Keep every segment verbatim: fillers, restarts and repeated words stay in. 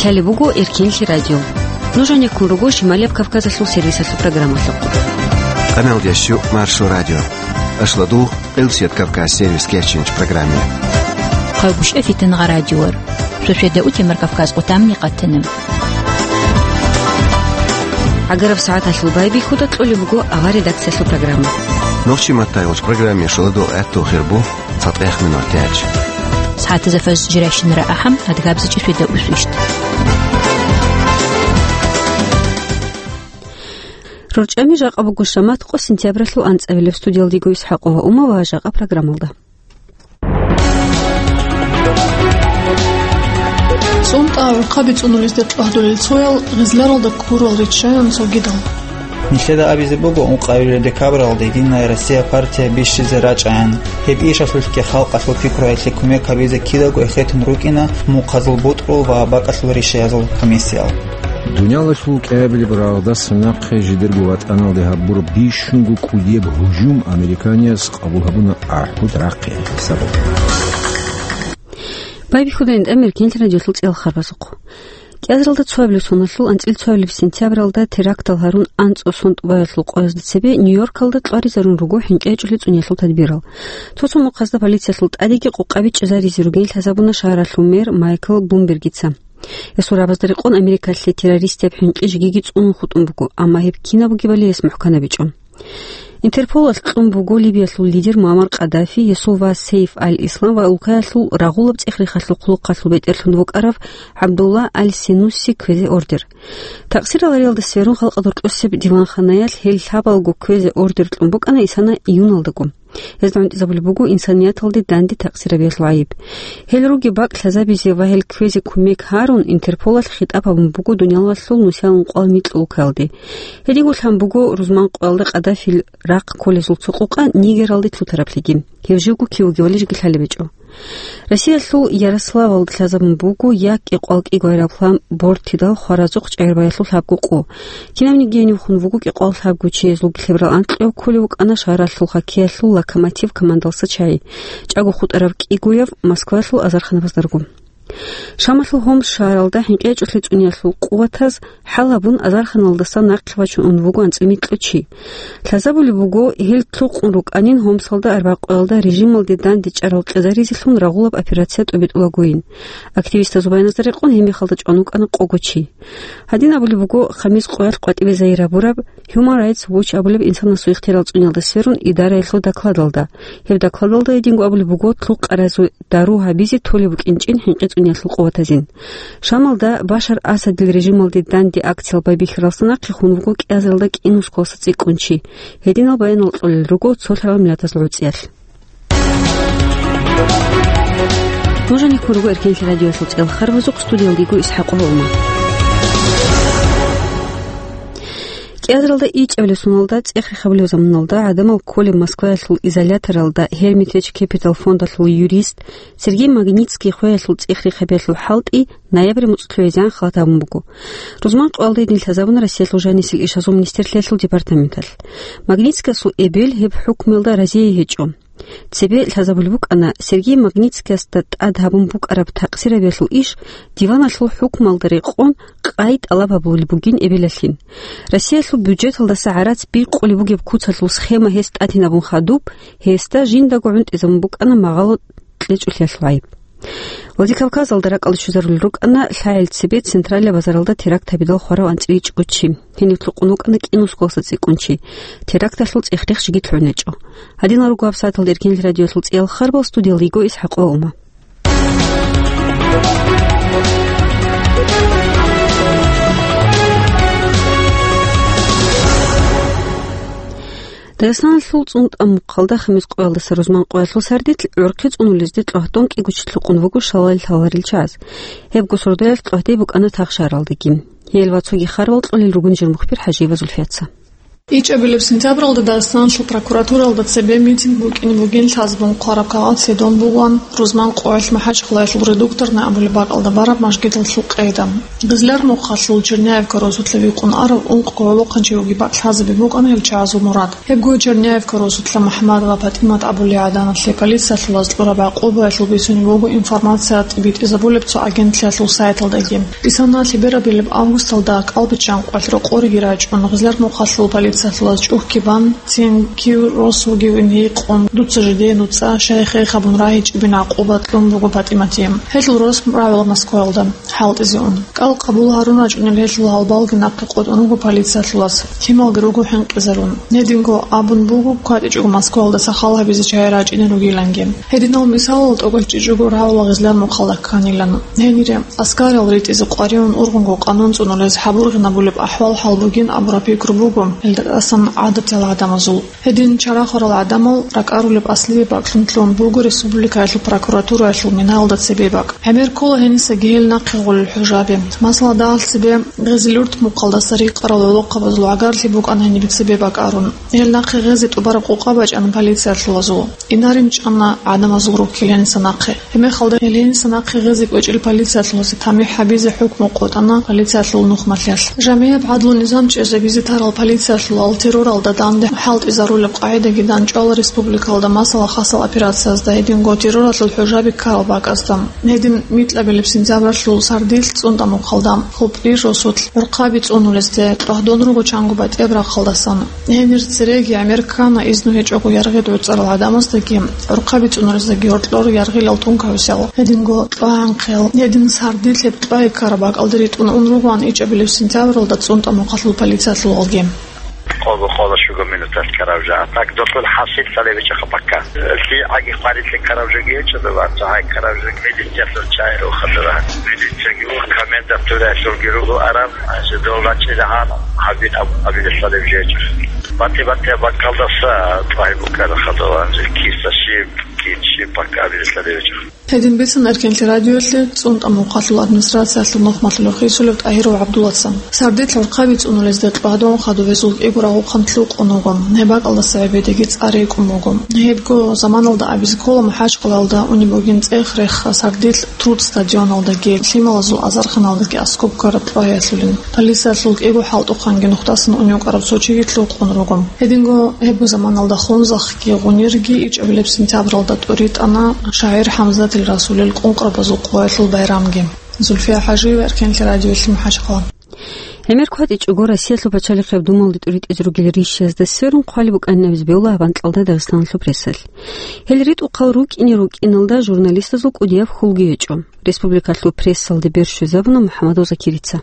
Лъалеб буго Эркенлъи радио. Нуж гьанеккун руго Шималияб Кавказалъул сервисалъул программалъухъ. Къаналдияс щу Маршо радио. Ашладу Элсият Кавказ сервис кечинч программе. Хъайбушев Фитнагъа радиор. Шошеда утемар Кавказ къутамни къатана. ГӀагараб сагӀаталъул байбихьуда кьолеб буго авар редакциялъул программа. Нохчи маттайгъулч программе шоладул гӀатту хирбу. ЦатӀех минут тяч. СагӀатазда фаз жирайщинара ахӀам, адгабзичӀи шведа усвищт. РорчӀами жакъа буго шамат къо сентябралъул анцӀабилеб студиялдего Исхакъова Ума ва жакъа программалда. ЦӀунтӀа гӀурхъаби цӀунулезде кьвагьдулел цоял гъизларалда ккурал риччаян цогидал. Нилъеда абизе буго, ункъабилеб декабралда Единая Россия партия бищизе рачӀаян. Гьеб ишалъулъги халкъалъул пикруялъе кумек гьабизе кидаго эхетун рукӀина мухъазул бутӀрул ва бакӀалъул ришаязул комиссиял. Дуниялалъул кӀиабилеб рагъдасан нахъе жидерго ватӀаналде гьабураб бищунго кӀудияб гьужум американиязда къабул гьабуна АхӀуд рахъиялъул сабаб. Байбихьуда гьанже Эркенлъи радиолъул цӀеял харбазухъ. КӀиазаралда цоабилеб соналъул анцӀил цоабилеб сентябралда терактал гьарун анцӀго сон тӀубаялъул къоязда цебе Нью-Йоркалда кьваризарун руго хӀинкъи гьечӀолел цӀуниялъул тадбирал. Цо-цо мухъазда полициясул тӀадеги къокъаби чӀезаризе ругин лъазабуна шагьаралъул мэр Майкл Блумбергица. Гьесул рагӀабазда рекъон Америкалъе террористияб хӀинкъи жегиги цӀунун хутӀун буго, амма гьеб кинаб бугебали гьес мухӀканабичӀо. Интерполалъ кьун буго Либиялъул лидер Муаммар Къаддафи, гьесул вас Сейф аль-Ислам ва улкаялъул рагъулаб цӀех-рехалъул хъулухъалъул бетӀерлъун вукӀарав ГӀабдулла аль-Сенусси кквезе ордер. Такъсирал гьариялда сверун халкъалда рокьосеб диванханаялъ гьел лъабалго кквезе ордер кьун букӀана исана июналдаго. Гьезда гӀунтӀизабулеб буго инсанияталде данде такъсир гьабиялъул гӀайиб. Гьел ругеб бакӀ лъазабизе ва гьел кквезе кумек гьарун, Интерполалъ хитӀаб гьабун буго дуниялалъул нусиялъул ункъоялда микьго улкаялде. Гьединго лъан буго рузман къоялда Къаддафил рахъ кколезул цо къокъа Нигералде лъутараблъиги. Гьев живго кив вугевали жеги лъалеб гьечӀо. Россиялъул Ярославалда лъазабун буго я кӀикъоялда кӀиго гӀайраб лъаб бортидал хваразухъ чӀегӀербаялъул лъабго къо. Кинабниги гьенивхун вуго кӀикъоялда лъабго чиясул лъеберал анкьабилеб кколеб букӀана шагьаралъул хоккеялъул «Локомотив» командалъа чагӀи, чӀаго хутӀараб кӀигояб Москваялъул азарханабаздаго. Шамалъул Хомс шагьаралда хӀинкъи гьечӀолъи цӀуниялъул къуватаз хӀал гьабун азарханалдаса нахъе вачун ун вуго анцӀила микьго чи. Лъазабулеб буго, гьел лъукъун рукӀанин Хомсалда арбякъоялда режималде данде чӀарал кьезаризелъун рагъулаб операция тӀобитӀулагойин. Активистазул баяназда рекъон гьеб мехалда чӀван вукӀана къого чи. Гьадин абулеб буго, хамис къоялъ къватӀибе загьир гьабураб Human Rights Watch абулеб инсанасул ихтияр цӀуниялда сверун идараялъул докладалда. Гьеб докладалда гьединго абулеб буго, лъукъаразул дару гьабизе толеб букӀинчӀин хӀинкъи цӀуниялъул къуватазин. Шамалда Башар Асадил режималде данде акциял байбихьаралдаса нахъе хун вуго кӀиазаралда кӀинусго цӀикӀкӀун чи. Гьединал баянал кьолел руго цолъарал миллатазул гӀуцӀиялъ. Нуж гьанеккун руго Эркенлъи радиоялъул цӀеял харбазухъ, студиялда йиго Исхакъова Ума. КӀиазаралда ичӀабилеб соналда цӀех-рехабилеб заманалда гӀадамал кколеб Москваялъул изоляторалда Hermitage Capital фондалъул юрист Сергей Магнитский хвеялъул цӀех-рехабиялъул хӀалтӀи ноябрь муцӀ лъугӀизегӀан халат гьабун буго. Рузман къоялда гьедин лъазабуна Россиялъул жанисел ишазул министрлъиялъул департаменталъ. Магнитскиясул эбел гьеб хӀукмуялда разие гьечӀо. Цебе лъазабулеб букӀана Сергей Магнитскиясда тӀад гьабун букӀараб такъсирабиялъул иш диваналъул хӀукмуялда рекъон къай тӀалаб гьабулеб бугин эбелалъин. Россиялъул бюджеталдаса гӀарац бикъулеб бугеб куцалъул схема гьес тӀадинабун хадуб, гьесда жиндаго гӀунтӀизабун букӀана магъало кьечӀолъиялъул гӀайиб. Владикавказалда ракӀалде щвезарулел рукӀана лъагӀел цебе централияб базаралда теракт гьабидал хварав анцӀила ичӀго чи. Гьениб лъукъун вукӀана кӀинусго цӀикӀкӀун чи. Теракталъул цӀех-рех жеги лъугӀун гьечӀо. Гьадинал руго гьабсагӀаталда Эркенлъи радиоялъул цӀеял харбал, студиялда йиго Исхакъова Ума. Дагъистаналъул ЦӀунтӀа мухъалда хамис къоялдаса рузман къоялъул сардилъ гӀурхъи цӀунулезде кьогьтӀун кӀиго чи лъукъун вуго шалал лъаларел чагӀаз. Гьебго сордоялъ кьогьди букӀана Тахшаралдаги. Гьел ва цоги харбал кьолел ругин жер мухбир ХӀажиева Зульфияца. ИчӀабилеб сентябралда Дагъистаналъул прокуратуралда цебе митинг букӀине бугин лъазабун хъвараб кагъат лъидон бугоан рузман къоялъ МахӀачхъалаялъул Редукторный абулеб бакӀалда бараб мажгиталъул къайда. Гъезлъар мухъалъул Черняевка росулъа вихъун арав ункъго гӀолохъанчи вугеб бакӀ лъазабе букӀана гьел чагӀазул мурад. Гьебго Черняевка росулъа МухӀамадова ПатӀимат абулей гӀаданалъе полициялъулаз кьураб гӀакъубаялъул бицунеб буго информация тӀибитӀизабулеб цо агентлъиялъул сайталдаги. Исана лъеберабилеб августалда кӀалбиччанкъоялъ рокъореги рачӀун, Гъезлъар мухъалъул полициялъулаз чӀухӀги бан, цин кив рос вугевин гьикъун, дуца жидее нуцӀа, шайх-шайх абун рагьичӀебин гӀакъуба кьун буго ПатӀиматие. Гьелъул рос рагӀула Москваялда хӀалтӀизе ун. КӀал къабул гьарун рачӀунел гьелъул гьалбалги нахъе къотӀун руго полициялъулаз, лъималги руго хӀинкъизарун. Гьединго абун буго, кватӀичӀого Москваялдаса хал гьабизе чагӀи рачӀине ругиланги. Гьединал мисалал тӀокӀав чӀичӀого рагӀула Гъезлъар мухъалда кканилан. Гьенире, аскарал ритӀизе къваригӀун ургъунго къанун цӀунулез гьабургъинабулеб ахӀвал-хӀал бугин абураб пикру буго гьелдасан гӀадатиял гӀадамазул. Гьедин чарахурал гӀадамал ракӀарулеб аслияб бакӀлъун лъун буго республикаялъул прокуратураялъул минаялда цебе бакӀ. ГӀемер ккола гьенисаги гьел нахъе гъолел хӀужаби. Масала, дагьалъ цебе Гъезилюрт мухъалдаса рикъарал гӀолохъабазул гӀагарлъи букӀана гьенибе цебе бакӀ арун. Гьел нахъе гъезе тӀубараб къокъа бачӀана полициялъулазул. Инарин чӀана гӀадамазул руккил гьениса нахъе. Гьебмехалда гьел гьениса нахъе гъезе кӀвечӀел полициялъулазе тамихӀ гьабизе хӀукму къотӀана полициялъул нухмалъиялъ. ЖамигӀаб гӀадлу-низам чӀезабизе тарал полициялъулал терроралда данде хӀалтӀизарулеб къагӀидаги данчӀвала республикалда масала хасал операциязда, гьединго терроралъул хӀужаби ккарал бакӀазда. Гьедин микьабилеб сентябралъул сардилъ ЦӀунтӀа мухъалда, Хупри росулъ, гӀурхъаби цӀунулезде тӀагьдун руго чанго батӀияб рахъалдасан. Гьенир цереги гӀемер ккана изну гьечӀого яргъи гӀуцӀарал гӀадамаздаги, гӀурхъаби цӀунулездаги гьоркьор яргъилал тункависал. Гьединго тӀагӀанхъел, гьедин сардилъ гьеб тӀвай ккараб бакӀалде ритӀун ун ругоан ичӀабилеб сентябралда ЦӀунтӀа мухъалъул полициялъулалги. Къого-къого щуго минуталъ ккараб жо. А так досул хӀасил цалевичӀаха пакка. Лъи гӀаги хъварилъи ккараб жоги гьечӀо, дова цо гьай ккараб жо милициялъул чагӀи рухадура. Милицияги у комендатураялъулги руго араб, гьанже дол рачӀила гьан гьабин аб-, абилелъадаб жечӀо. Бати-батияб баккалдаса тӀвай букӀара хадур, гьанже киса щиб, кин щиб бакка абилелъадаб жечӀо. Гьедин бицана Эркенлъи радиоялъе ЦӀунтӀа мухъалъул администрациялъул нухмалъулев хисулев ТӀагьиров ГӀабдуллацан. Сардилъ гӀурхъаби цӀунулезде тӀагьдун хадуб гьезул кӀиго рагъухъан лъукъун вуго. Гьеб бакӀалдаса гӀебедеги цӀар рекӀун буго. Гьебго заманалда абизе ккола МахӀачхъалаялда унеб бугин цӀех-рехха сардилъ Труд стадионалдаги, лъималазул азарханалдаги аскӀоб ккараб тӀваялъулин. Полициялъул кӀиго хӀалтӀухъанги нухдасан унев кӀараб цо чиги лъукъун руго. Гьединго гьебго заманалда Хунзахъги Гъунирги ичӀабилеб сентябралда тӀуритӀана шагӀир ХӀамзатил Расулил къункърабазул къоялъул байрамги. Зульфия ХӀажиева, Эркенлъи радиоялъе, МахӀачхъала. ГӀемер кватӀичӀого Россиялъул пачалихъияб думалде тӀуритӀизе ругел ришиязда сверун хъвалеб букӀанин абизе бегьула гьаб анкьалда Дагъистаналъул прессалъ. Гьел ритӀухъал рукӀине-рукӀиналда журналистазул кӀудияб хьулги гьечӀо. Республикалъул прессалде бер щвезабуна МухӀамадов Закирица.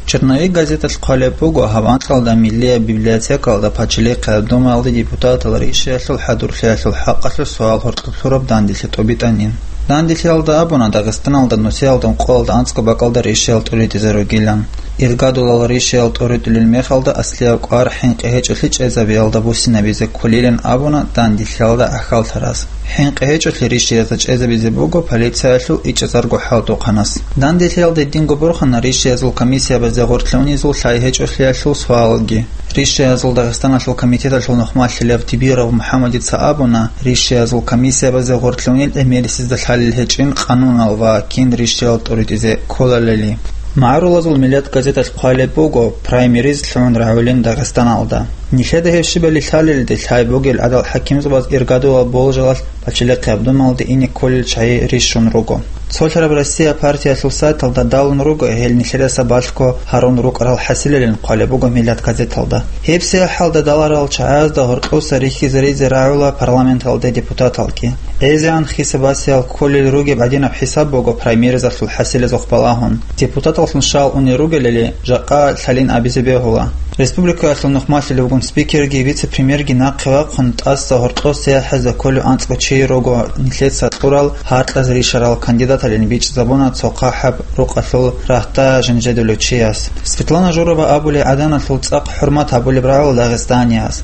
«Черновик» газеталъ хъвалеб буго, гьаб анкьалда Миллияб библиотекалда пачалихъияб думаялде депутатал ришиялъул хӀадурлъиялъул хӀакъалъулъ суал гьоркьоб лъураб данделъи тӀубитӀанин. Данделъиялда абуна, Дагъистаналда нусиялда ункъоялда анцӀго бакӀалда ришиял тӀуритӀизе ругилан. Иргадулал ришиял тӀуритӀулел мехалда аслияб кӀвар хӀинкъи гьечӀолъи чӀезабиялда буссинабизе кколилан абуна данделъиялда гӀахьаллъараз. ХӀинкъи гьечӀолъи ришиязда чӀезабизе буго полициялъул ичӀазарго хӀалтӀухъанас. Данделъиялда гьединго борхана ришиязул комиссиябазде гъорлъе унезул лъай гьечӀолъиялъул суалги. Ришиязул Дагъистаналъул комитеталъул нухмалъилав Тибиров МухӀаммадица абуна, ришиязул комиссиябазде гъорлъе унел гӀемерисезда лъалел гьечӀин къанунал ва кин ришиял тӀуритӀизе кколалали. МагӀарулазул Миллет газеталъ хъвалеб буго, праймериз лъугӀун рагӀулин Дагъистаналда. Нилъеда гьеб щибали лъалелде лъай бугел гӀадал хӀакимзабаз иргадулал болжалалъ пачалихъияб думалде ине кколел чагӀи рищун руго. Цолъараб Россия партиялъул сайталда далун руго гьел нилъедаса балъго гьарун рукӀарал хӀасилалин хъвалеб буго Миллет газеталда. ГьебсагӀат хӀалда даларал чагӀазда гьоркьоса рихьизаризе рагӀула парламенталде депутаталги. ГӀезегӀан хисабасиял кколел ругеб гӀадинаб хӀисаб буго праймеризалъул хӀасилазухъ балагьун. Депутаталлъун щал унел ругелали, жакъа лъалин абизе бегьула. Республикаялъул нухмалъилев вугун спикерги вице-премьерги нахъе вахъун, тӀаса гьоркьоса яхӀизда кколев анцӀго чи руго нилъеца кьурал гьаркьазе ришарал кандидаталин бичӀчӀизабуна цо хъахӀаб рукъалъул рагьда жанжедулев чияс. Светлана Журова абулей гӀаданалъул цӀакъ хӀурмат гьабулеб рагӀула дагъистанияз.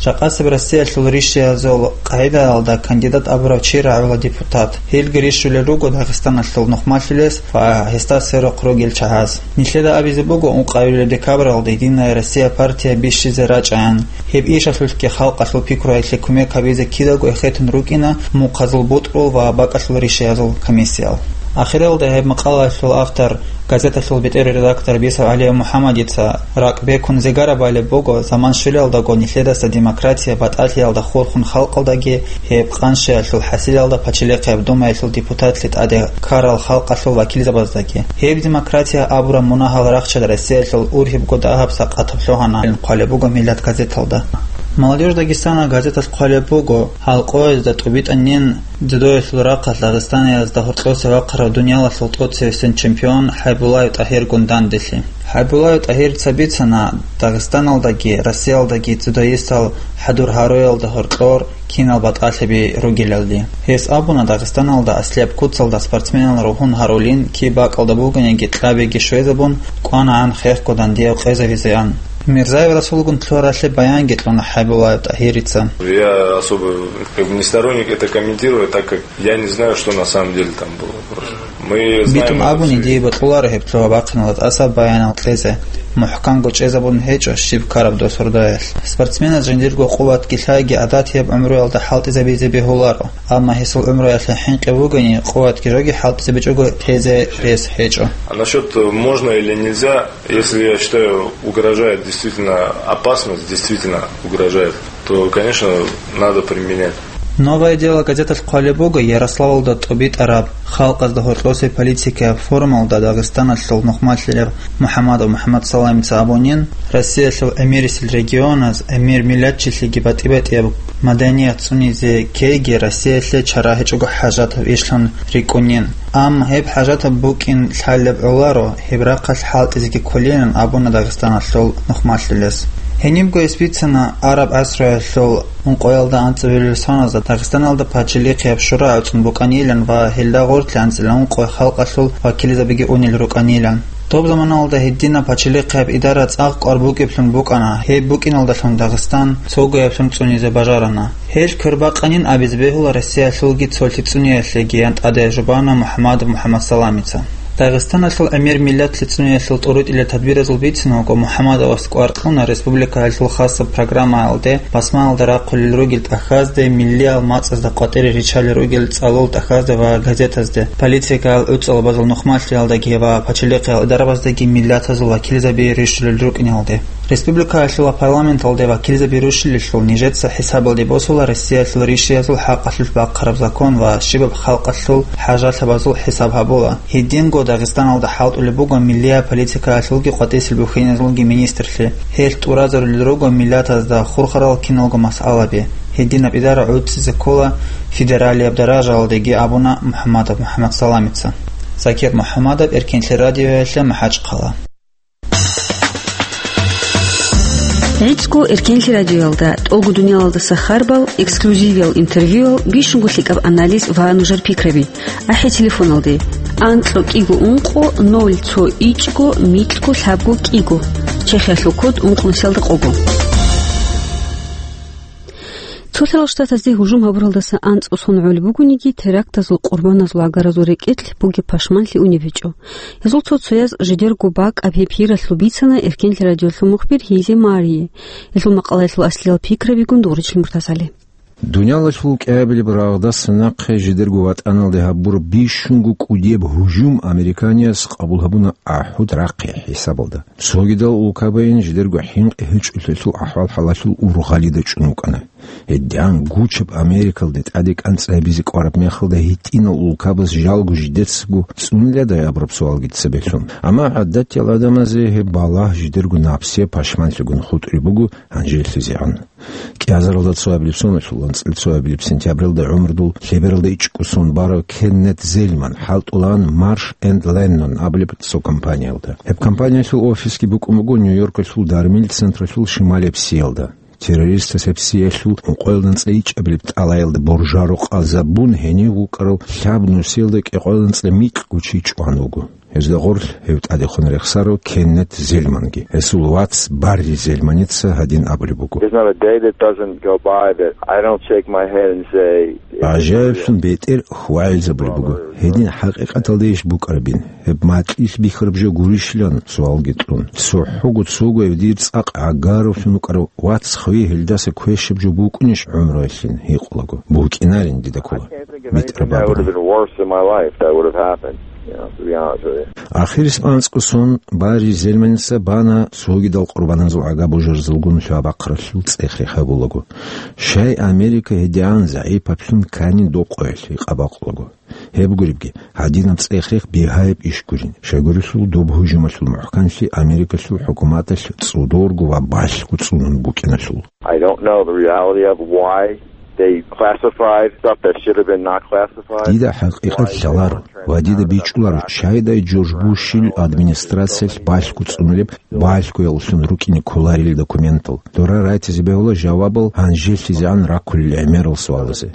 Жакъасеб Россиялъул ришшиязул къагӀидаялда кандидат абурав чи рагӀула депутат. Гьелги рищулел руго Дагъистаналъул нухмалъулес ва гьесда сверухъ ругел чагӀаз. Нилъеда абизе буго, ункъабилеб декабралда «Единая Россия» партия бищизе рачӀаян. Гьеб ишалъулъги халкъалъул пикруялъе кумек гьабизе кидаго эхетун рукӀина мухъазул бутӀрул ва бакӀалъул ришшиязул комиссиял. Ахиралда гьеб макъалаялъул автор, газеталъул бетӀер редактор Бисов ГӀали МухӀаммадица ракӀ бекун зигара балеб буго, заман щвелалдаго нилъедаса демократия батӀалъиялда хурхун халкъалдаги гьеб къанщиялъул хӀасилалда пачалихъияб Думаялъул депутатлъи тӀаде ккарал халкъалъул вакилзабаздаги. Гьеб демократия абураб мунагьал рахчад Россиялъул ургьибго дагьаб сакъатаб лъугьана хъвалеб буго «Миллат» газеталда. «Молодёжь Дагестана» газеталъ хъвалеб буго, гьалкъоязда тӀубитӀанин дзюдоялъул рахъалъ Дагъистаниязда гьоркьосе вахъарав дуниялалъул тӀоцевесин чемпион ХӀайбуллаев ТӀагьиргун данделъи. ХӀайбуллаев ТӀагьирица бицана, Дагъистаналдаги Россиялдаги дзюдоистал хӀадур гьаруялда гьоркьор кинал батӀалъиби ругелалде. Гьес абуна, Дагъистаналда аслияб куцалда спортсменал ругьун гьарулин, киб бакӀалда бугониги кьабиги щвезабун, кӀванагӀан хехго дандияв къезавизеан. Мирзаев Расулгун лъугьаралъе баянги кьуна ХӀайбуллаев ТӀагьирица. Я особо, как бы, не сторонник это комментировать, так как я не знаю, что на самом деле там было просто. Мы знаем Битун это абуни, все. Дие бокьуларо гьеб лъугьа-бахъиналда тӀаса баянал кьезе. МухӀканго чӀезабун гьечӀо щиб ккараб досордоялъ. Спортсменаз жиндирго къуватги лъайги гӀадатияб гӀумруялда хӀалтӀизабизе бегьуларо, амма гьесул гӀумруялъе хӀинкъи бугони, къуватги жоги хӀалтӀизабичӀого тезе рес гьечӀо. А насчет, э, можно или нельзя, если, я считаю, угрожает действительно опасность, действительно угрожает, то, конечно, надо применять. «Новое дело» газеталъ хъвалеб буго Ярославалда тӀубитӀараб халкъазда гьоркьосе политикаяб форумалда Дагъистаналъул нухмалъилев МухӀаммадов МухӀаммад Саламица абунин, Россиялъул эмирисел регионаз, эмир миллатчилъиги батӀи-батӀияб маданият цӀунизе ккейги Россиялъе чара гьечӀого хӀажатаб ишлъун рикӀкӀунин. Амма гьеб хӀажатаб букӀин лъалеб гӀоларо, гьеб рахъалъ хӀалтӀизеги кколилан абуна Дагъистаналъул нухмалъулес. Гьенибго гьес бицана араб гӀасруялъул ункъоялда анцӀабилеб соназда Дагъистаналда пачалихъияб шура гӀуцӀун букӀанилан ва гьелда гъорлъ анцӀила ункъо халкъалъул вакилзабиги унел рукӀанилан. Доб заманалда гьединаб пачалихъияб идара цӀакъ кӀвар букӀиблъун букӀана, гьеб букӀиналдалъун Дагъистан цогояблъун цӀунизе бажарана. Гьел квербакъанин абизе бегьула Россиялъулги цолъи цӀуниялъеги, ян тӀаде жубана МухӀаммадов МухӀаммад Саламица. Дагъистаналъул эмир миллатлъи цӀуниялъул тӀурутӀила тадбиразул бицун вуго, МухӀаммадовас кӀвар кьуна республикаялъул хасаб программаялде, басмаялда рахъулел ругел тӀахьазде, миллиял мацӀазда къватӀире риччалел ругел цӀалул тӀахьазде ва газетазде, политикаял гӀуцӀалабазул нухмалъиялдаги ва пачалихъиял идарабаздаги миллатазул вакилзаби рищулел рукӀиналде. Республикаялъула парламенталде вакилзаби рущилелъул нижеца хӀисабалде босула Россиялъул ришшиязул хӀакъалъулъ бахъараб закон ва щибаб халкъалъул хӀажалъабазул хӀисаб гьабула. Гьединго Дагъистаналда хӀалтӀулеб буго миллияб политикаялъулги къватӀисел бухьиназулги министрлъи. Гьелъ тӀуразарулел руго миллатазда хурхарал киналго масъалаби. Гьединаб идара гӀуцӀизе ккола федералияб даражаялдеги, абуна МухӀаммадов МухӀаммад Саламица. Закир МухӀаммадов, Эркенлъи радиоялъе, МахӀачхъала. ГӀицӀго Эркенлъи радиоялда тӀолго дуниялалдаса харбал, эксклюзивиял интервьюял, бищунго лъикӀаб анализ ва нужер пикраби. АхӀи телефоналде: анкьго кӀиго ункъо ноль цо ичӀго микьго лъабго кӀиго. Чехиялъул код ункънусиялда къого. Цо лъалал штатазде гьужум гьабуралдаса анцӀго сон гӀолеб бугониги, терактазул къурбаназул гӀагаразул рекӀелъ бугеб пашманлъи унеб гьечӀо. Гьезул цо-цояз жидерго бакӀаб гьеб гьиралъул бицана Эркенлъи радиолъул мухбир Гьизе Марие. Гьелъул макъалаялъул аслиял пикрабигун Дугъричил МуртазгӀали. Дуниялалъул кӀиабилеб рагъдаса нахъе жидерго ватӀаналде гьабураб бищунго кӀудияб гьужум американиязас къабул гьабуна ахӀуд рахъи хӀисабалда. Цогидал улкабайин жидерго хӀинкъи гьечӀолъиялъул ахӀвал-хӀалалъул ургъалида чӀун вукӀана. Гьедин гучаб Америкалде тӀаде кӀанцӀи гьабизе кӀвараб мехалда гьитӀинал улкабаз жалго жидецаго цӀуниладай абураб суалги цебе лъун. Амма гӀадатиял гӀадамазе гьеб балагь жидерго напсияб пашманлъигун хутӀулеб буго гьанжелъизегӀан. КӀиазаралда цоабилеб соналъул анцӀила цоабилеб сентябралда гӀумрудул лъебералда ичӀго сон барав Кеннет Зельман хӀалтӀулаан Марш энд Леннон абулеб цо компаниялда. Гьеб компаниялъул офисги букӀун буго Нью-Йоркалъул дармил централъул шималияб сиялда. Террористас гьеб сиялъул ункъоялда анцӀила ичӀабилеб тӀалаялда боржаро къазабун гьенив вукӀарав лъаб нусиялда кӀикъоялда анцӀила микьго чи чӀван вуго. Гьезда гъорлъ гьев тӀадехун рехсарав Кеннет Зельманги. Гьесул вац Барри Зельманица гьадин абулеб буго: There's not a day that doesn't go by that I don't shake my head and say, "It's a miracle." ГӀажаиблъун бетӀер хьвагӀилзабулеб буго. Гьедин хӀакъикъаталда иш букӀарабин, гьеб макьилъ бихьараб жо гурищилан суалги тӀун. ЦохӀого цого гьев дир цӀакъ гӀагаравлъун вукӀарав вац хви гьелдаса квешаб жо букӀунищ гӀумруялъин гьикъулаго. БукӀинарин дида ккола. БитӀараб абуни. That would have been worse in my life, that would have happened, you know, to be honest with you. Ахирисеб анцӀго сон Барри Зельманица бана цогидал къурбаназул гӀага божарзулгун лъабахъаралъул цӀех-рех гьабулаго. Щай Америка гьедигӀан загӀипаблъун кканин докъоялъ гьикъа бакъулаго. Гьеб гуребги, гьадинаб цӀех-рех бигьаяб иш гурин. Щайгурелъул доб гьужумалъул мухӀканлъи Америкалъул хӀукуматалъ цӀодорго ва балъго цӀунун букӀиналъул. I don't know the reality of why they classified stuff that should have been not classified. Дида хӀакъикъат лъаларо ва дида бичӀчӀуларо, щайдай Джордж Бушил администрациялъ балъго цӀунулеб, балъгоялъун рукӀине кколарел документал. Дора райтизе бегьула жавабал гьанжелъизегӀан раккулел гӀемерал суалазе.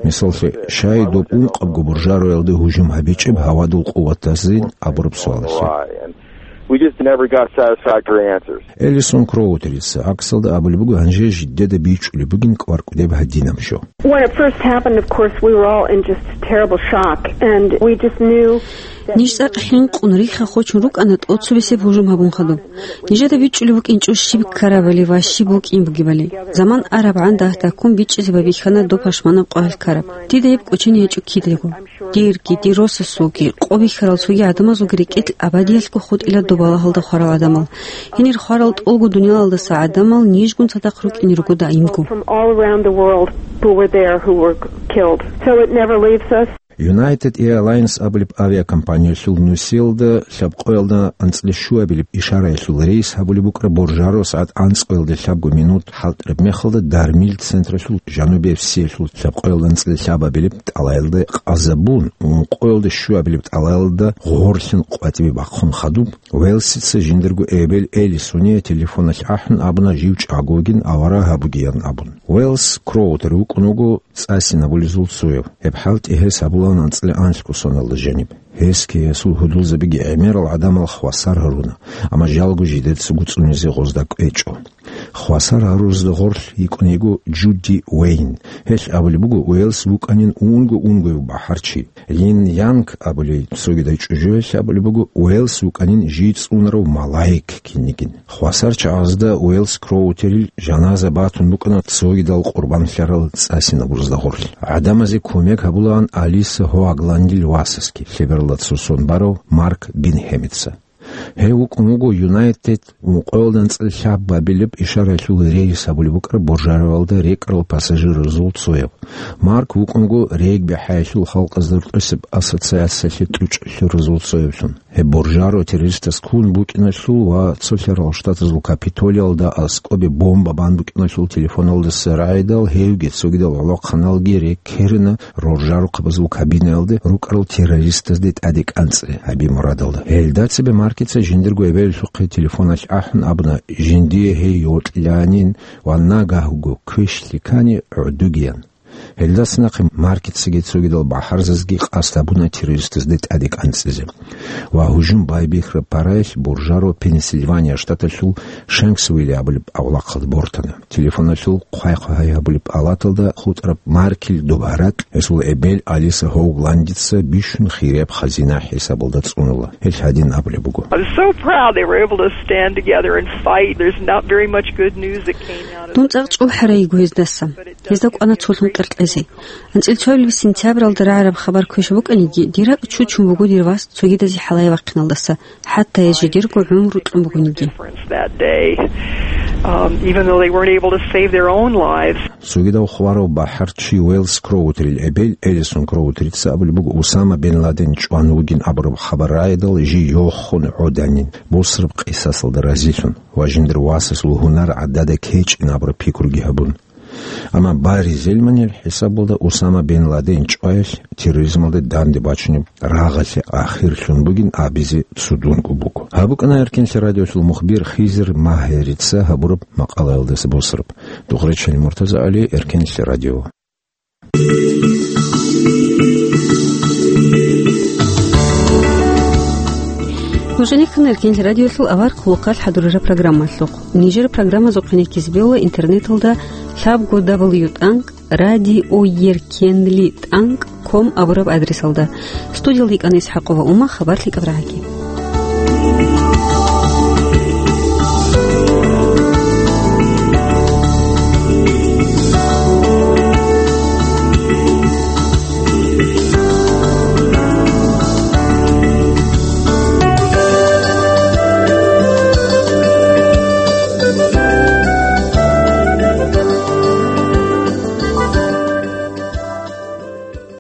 Мисаллъи, щай доб ункъабго буржароялда гьужум гьабичӀеб гьавадул къуватазин абураб суалалъе. We just never got satisfactory answers. Элисон Кроутерица гӀаксалда абулеб буго, гьанже жидеда бичӀчӀулеб бугин кӀвар-кӀудеб гьадинаб жо. When it first happened, of course, we were all in just terrible shock, and we just knew that Ниж цӀакъ хӀинкъун, рихха хочун рукӀана тӀоцебесеб гьужум гьабун хадуб. Нижеда бичӀчӀулеб букӀинчӀо щиб ккарабали ва щиб букӀин бугебали. Заман арабгӀан дагь-дагьккун бичӀчӀизе байбихьана доб пашманаб къоялъ ккараб. Дида гьеб кӀочене гьечӀо кидаго. Дирги, дир росасулги, къо бихьарал цоги гӀадамазулги рекӀелъ абадиялъго хутӀила доб балагьалда хварал гӀадамал. Гьенир хварал тӀолго дуниялалдаса гӀадамал нижгун цадахъ рукӀине руго даимго. From all around the world who were there, who were killed. So it never leaves us. United Airlines абулеб авиакомпаниялъул нусиялда лъабкъоялда анцӀила щуабилеб ишараялъул рейс гьабулеб букӀараб боржаро сагӀат анцӀгоялда лъабго минут хӀалтӀараб мехалда Дармил централъул жанубияб сиялъул лъабкъоялда анцӀила лъабабилеб тӀалаялда къазабун, ункъоялда щуабилеб тӀалаялда гъорлъин къватӀибе бахъун хадуб, Уэлсица жиндирго эбел Элисония телефоналъ ахӀун абуна жив чӀагогин авараг гьабугеян абун. Уэлс Кроутер вукӀун вуго цӀасинабулезул цояв. Гьеб хӀалтӀи гьес гьабулаан анцӀила анлъго соналда жаниб. Гьесги гьесул гьудулзабиги гӀемерал гӀадамал хвасар гьаруна, амма жалго жидеца гуцӀунизе гъозда кӀвечӀо. Хвасар гьарурзда гъорлъ йикӀун йиго Джуди Уэйн. Гьелъ абулеб буго, Уэлс вукӀанин унго-унгояв бахӀарчи. Лин Янг абулей цогидай чӀужуялъ абулеб буго, Уэлс вукӀанин жий цӀунарав малаик кинигин. Хвасар чагӀазда Уэлс Кроутерил жаназа батун букӀана цогидал къурбанлъарал цӀасинабурзда гъорлъ. ГӀадамазе кумек гьабулаан Алиса Хоагландил васасги, лъебералда цо сон барав Марк Бинхемица. Гьев вукӀун вуго Юнайтед ункъоялда анцӀила лъабабилеб ишараялъул рейс гьабулеб букӀараб боржароялда рекӀарал пассажирзул цояв. Марк вукӀун вуго регби хӀаялъул халкъазда рукӀусеб ассоциациялъе тӀучӀлъурзул цоявлъун. Гьеб боржаро террористас ккун букӀиналъул ва цолъарал штатазул Капитолиялда аскӀобе бомба бан букӀиналъул телефоналдаса рагӀидал гьевги цогидал гӀолохъаналги реккерина роржарухъабазул кабинаялде рукӀарал террористазде тӀаде кӀанцӀи гьаби мурадалда. Гьелда цебе Маркица жиндирго эбелалъухъе телефоналъ ахӀун абуна, жиндие гьей йокьиланин ва нагагьго квешлъи ккани гӀодугеян. Гьелдаса нахъе Маркицаги цогидал бахӀарзазги къасд гьабуна террористазде тӀаде кӀанцӀизе. Ва гьужум байбихьараб параялъ боржаро Пенсильвания штаталъул Шенксвилли абулеб авлахъалда бортана. Телефоналъул хъвай-хъвай гьабулеб палаталда хутӀараб Маркил доб гьаракь гьесул эбел Алиса Хоугландица бищун хирияб хазина хӀисабалда цӀунула. Гьелъ гьадин абулеб буго. I was so proud they were able to stand together and fight. There's not very much good news that came out of Дун цӀакъ чӀухӀарай йиго гьездаса. Гьезда кӀвана цолъун къеркьезе. АнцӀила цоабилеб сентябралда рагӀараб хабар квешаб букӀаниги, дир ракӀ чучун буго дир вас цогидазе хӀалае вахъиналдаса, хӀатта гьез жидерго гӀумру кьун бугониги. Difference that day, um, even though they weren't able to save their own lives. Цогидав хварав бахӀарчи Уэлс Кроутерил эбел Элисон Кроутерица абулеб буго, Усама бен Ладен чӀван вугин абураб хабар рагӀидал жий йохун гӀоданин, бусураб къисасалда разилъун ва жиндир васасул гьунар гӀадада кечӀин абураб пикруги гьабун. Амма Барри Зельманил хӀисабалда Усама бен Ладен чӀваялъ терроризмалда данде бачунеб рагъалъе ахирлъун бугин абизе цудунго буго. Гьаб букӀана Эркенлъи радиолъул мухбир Хизир Магьарица гьабураб макъалаялдаса босараб. Дугъречани МуртазагӀали, Эркенлъи радио. ЧӀинихъан Эркенлъи радиолъул авар хъулухъалъ хӀадурараб программалъухъ. Нижер программазухъе ккезе бегьула интернеталда лъабго дабл ю тӀанкӀ радиоеркенли тӀанкӀ ком абураб адресалда. Студиялда йикӀана ИсхӀакъова Ума, хабар лъикӀаб рагӀаги.